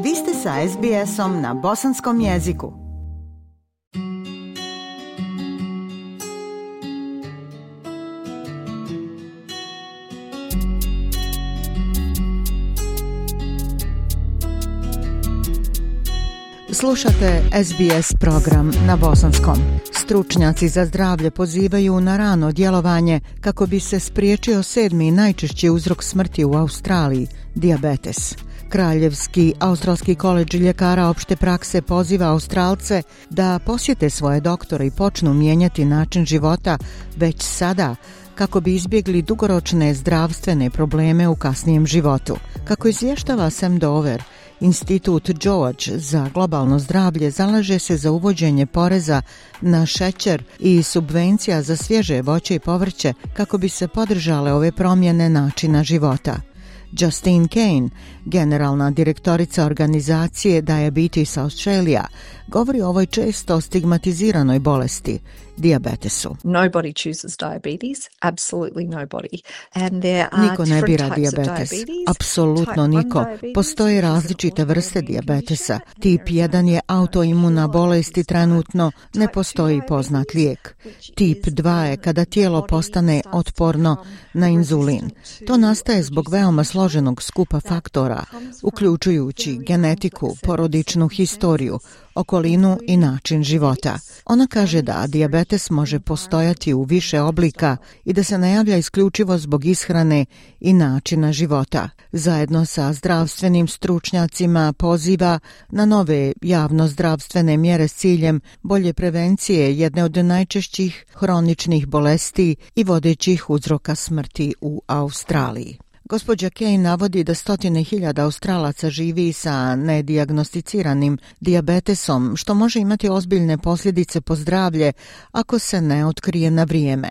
Vi ste sa SBS-om na bosanskom jeziku. Slušate SBS program na bosanskom. Stručnjaci za zdravlje pozivaju na rano djelovanje kako bi se spriječio 7. najčešći uzrok smrti u Australiji, dijabetes. Kraljevski australski koledž ljekara opšte prakse poziva Australce da posjete svoje doktore i počnu mijenjati način života već sada, kako bi izbjegli dugoročne zdravstvene probleme u kasnijem životu. Kako izvještava Sam Dover, Institut George za globalno zdravlje zalaže se za uvođenje poreza na šećer i subvencija za svježe voće i povrće kako bi se podržale ove promjene načina života. Justine Kane, generalna direktorica organizacije Diabetes Australia, govori o ovoj često stigmatiziranoj bolesti, dijabetesu. Nobody chooses diabetes, absolutely nobody. And there are niko ne bira dijabetes, apsolutno niko. Postoje različite vrste dijabetesa. Tip 1 je autoimuna bolest i trenutno ne postoji poznat lijek. Tip 2 je kada tijelo postane otporno na inzulin. To nastaje zbog veoma složenog skupa faktora, uključujući genetiku, porodičnu historiju, okolinu i način života. Ona kaže da dijabetes može postojati u više oblika i da se ne javlja isključivo zbog ishrane i načina života. Zajedno sa zdravstvenim stručnjacima poziva na nove javno-zdravstvene mjere s ciljem bolje prevencije jedne od najčešćih hroničnih bolesti i vodećih uzroka smrti u Australiji. Gospođa Kane navodi da 100.000 Australaca živi sa nedijagnosticiranim dijabetesom, što može imati ozbiljne posljedice po zdravlje ako se ne otkrije na vrijeme.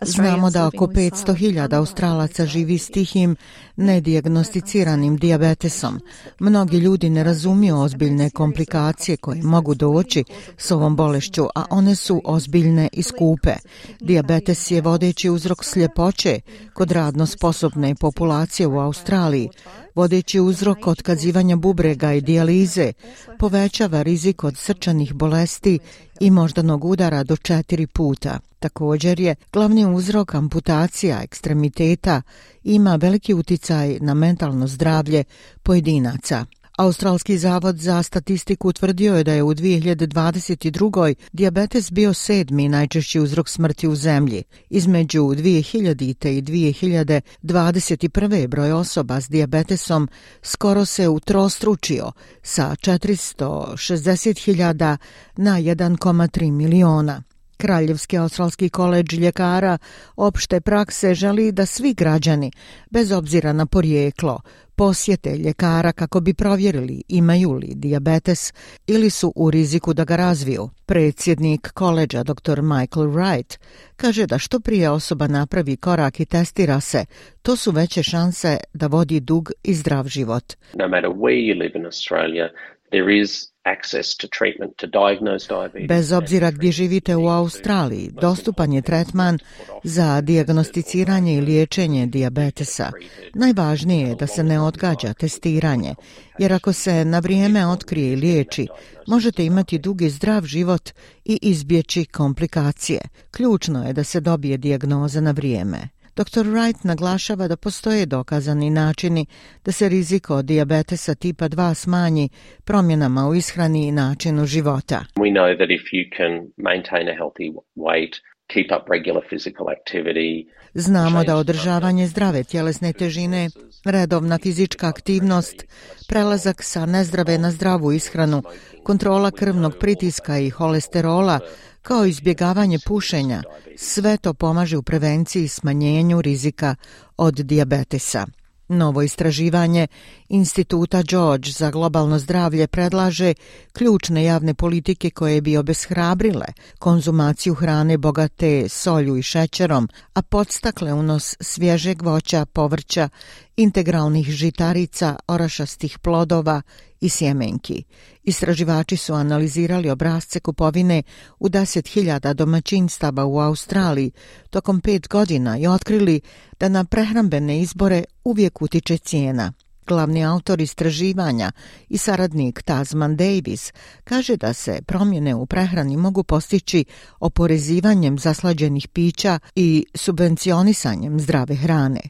Znamo da oko 500.000 Australaca živi s tihim nedijagnosticiranim dijabetesom. Mnogi ljudi ne razumiju ozbiljne komplikacije koje mogu doći s ovom bolešću, a one su ozbiljne i skupe. Dijabetes je vodeći uzrok sljepoće kod radno sposobne populacije u Australiji, vodeći uzrok otkazivanja bubrega i dijalize, povećava rizik od srčanih bolesti i moždanog udara do 4 puta. Također je glavni uzrok amputacija ekstremiteta i ima veliki uticaj na mentalno zdravlje pojedinaca. Australski zavod za statistiku utvrdio je da je u 2022. dijabetes bio 7. najčešći uzrok smrti u zemlji. Između 2000. i 2021. broj osoba s dijabetesom skoro se utrostručio sa 460.000 na 1,3 miliona. Kraljevski australski koledž ljekara opšte prakse želi da svi građani, bez obzira na porijeklo, posjete ljekara kako bi provjerili imaju li dijabetes ili su u riziku da ga razviju. Predsjednik koledža dr. Michael Wright kaže da što prije osoba napravi korak i testira se, to su veće šanse da vodi dug i zdrav život. No matter where you live in Australia, there is access to treatment to diagnose diabetes. Bez obzira gdje živite u Australiji, dostupan je tretman za dijagnosticiranje i liječenje dijabetesa. Najvažnije je da se ne odgađa testiranje, jer ako se na vrijeme otkrije i liječi, možete imati dug i zdrav život i izbjeći komplikacije. Ključno je da se dobije dijagnoza na vrijeme. Dr. Wright naglašava da postoje dokazani načini da se rizik od dijabetesa tipa 2 smanji promjenama u ishrani i načinu života. We know that if you can maintain a healthy weight, keep up regular physical activity. Znamo da održavanje zdrave tjelesne težine, redovna fizička aktivnost, prelazak sa nezdrave na zdravu ishranu, kontrola krvnog pritiska i holesterola, kao izbjegavanje pušenja, sve to pomaže u prevenciji i smanjenju rizika od dijabetesa. Novo istraživanje Instituta George za globalno zdravlje predlaže ključne javne politike koje bi obeshrabrile konzumaciju hrane bogate solju i šećerom, a podstakle unos svježeg voća, povrća, integralnih žitarica, orašastih plodova i sjemenki. Istraživači su analizirali obrasce kupovine u 10.000 domaćinstava u Australiji tokom 5 godina i otkrili da na prehrambene izbore uvijek utiče cijena. Glavni autor istraživanja i saradnik Tasman Davis kaže da se promjene u prehrani mogu postići oporezivanjem zaslađenih pića i subvencionisanjem zdrave hrane.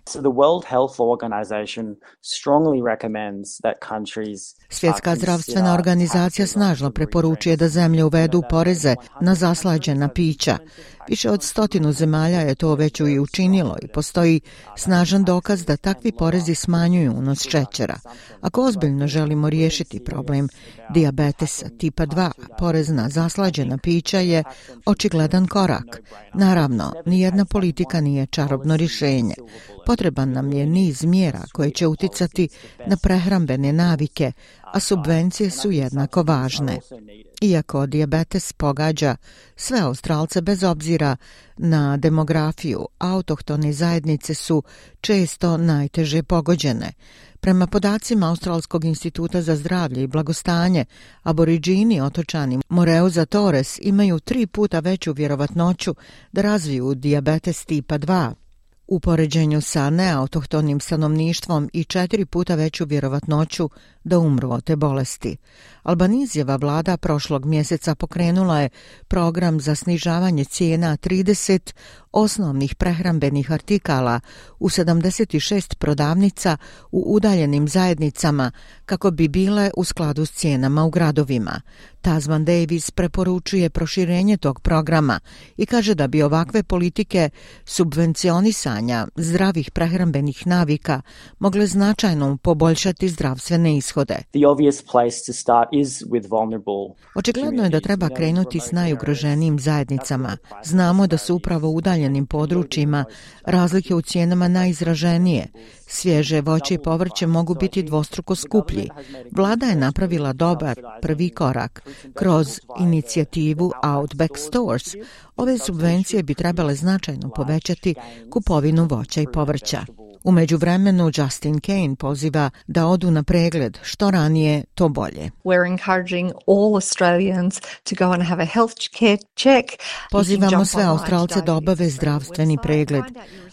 Svjetska zdravstvena organizacija snažno preporučuje da zemlje uvedu poreze na zaslađena pića. Više od 100 zemalja je to već i učinilo i postoji snažan dokaz da takvi porezi smanjuju unos šećera. Ako ozbiljno želimo riješiti problem dijabetesa tipa 2, porez na zaslađena pića je očigledan korak. Naravno, nijedna politika nije čarobno rješenje. Potreban nam je niz mjera koje će uticati na prehrambene navike, a subvencije su jednako važne. Iako dijabetes pogađa sve Australce bez obzira na demografiju, autohtone zajednice su često najteže pogođene. Prema podacima Australskog instituta za zdravlje i blagostanje, aboridžini otočani Moreuza Torres imaju 3 puta veću vjerovatnoću da razviju dijabetes tipa 2. U poređenju sa neautohtonim stanovništvom i 4 puta veću vjerovatnoću da umru od te bolesti. Albanizijeva vlada prošlog mjeseca pokrenula je program za snižavanje cijena 30 osnovnih prehrambenih artikala u 76 prodavnica u udaljenim zajednicama kako bi bile u skladu s cijenama u gradovima. Tasman Davis preporučuje proširenje tog programa i kaže da bi ovakve politike subvencionisanja zdravih prehrambenih navika mogle značajno poboljšati zdravstvene ishode. Očigledno je da treba krenuti s najugroženijim zajednicama. Znamo da su upravo u udaljenim područjima razlike u cijenama najizraženije. Svježe voće i povrće mogu biti dvostruko skuplji. Vlada je napravila dobar prvi korak. Kroz inicijativu Outback Stores, ove subvencije bi trebale značajno povećati kupovinu voća i povrća. U međuvremenu Justin Kane poziva da odu na pregled, što ranije to bolje. Pozivamo sve Australce da obave zdravstveni pregled.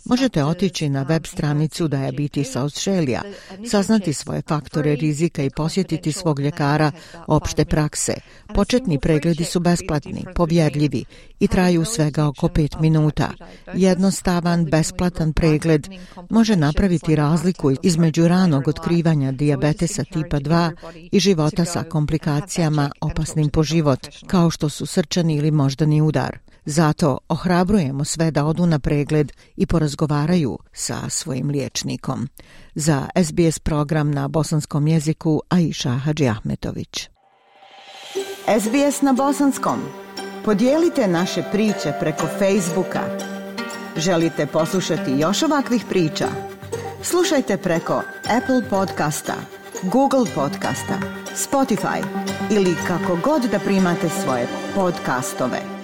Možete otići na web stranicu Diabetes Australia, saznati svoje faktore rizika i posjetiti svog ljekara opšte prakse. Početni pregledi su besplatni, povjerljivi i traju svega oko 5 minuta. Jednostavan, besplatan pregled može napraviti razliku između ranog otkrivanja dijabetesa tipa 2 i života sa komplikacijama opasnim po život, kao što su srčani ili moždani udar. Zato ohrabrujemo sve da odu na pregled i porazgovaraju sa svojim liječnikom. Za SBS program na bosanskom jeziku Aisha Hadžiahmetović. SBS na bosanskom. Podijelite naše priče preko Facebooka. Želite poslušati još ovakvih priča? Slušajte preko Apple podcasta, Google podcasta, Spotify ili kako god da primate svoje podcastove.